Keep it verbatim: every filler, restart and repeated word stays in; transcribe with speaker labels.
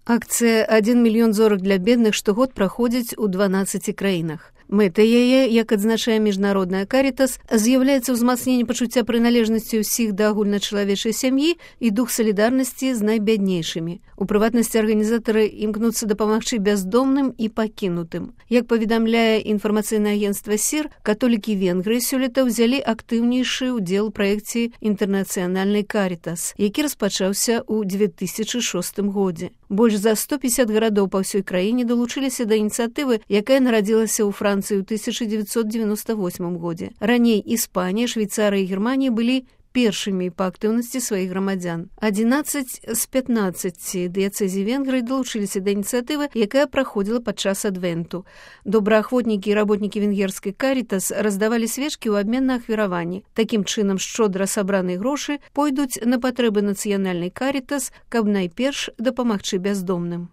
Speaker 1: Акцыя «Адзін мільён зорак для бедных» штогод праходзіць у дванаццаці краінах. Мэтай яе, як адзначае міжнародная Карітас, з'яўляецца ўзмацненне пачуцця прыналежнасці ўсіх да агульначалавечай сям'і і дух салідарнасці з найбяднейшымі. У прыватнасці арганізатары імкнуцца дапамагчы бяздомным і пакінутым. Як паведамляе інфармацыйнае агенцтва СІР, католікі Венгрыі сёлета ўзялі актыўнейшы ўдзел у праекце інтэрнацыянальнай Карітас, які распачаўся ў дзве тысячы шостым годзе. Больш за сто пятьдесят гарадоў па ўсёй краіне далучыліся да ініцыятывы, якая нарадзілася ў Францыі ў тысяча дзевяцьсот девяносто восьмым годзе. Раней Іспанія, Швейцарыя і Германія былі першымі па актыўнасці сваіх грамадзян. адзінаццаць з пятнаццаці дыяцэзій Венгрыі далучыліся да ініцыятывы, якая праходзіла падчас адвенту. Добраахвотнікі і работнікі венгерскай Карітас раздавалі свечкі ў абмен на ахвяраванні. Такім чынам, шчодра сабраныя грошы пойдуць на патрэбы нацыянальнай Карітас, каб найперш дапамагчы бяздомным.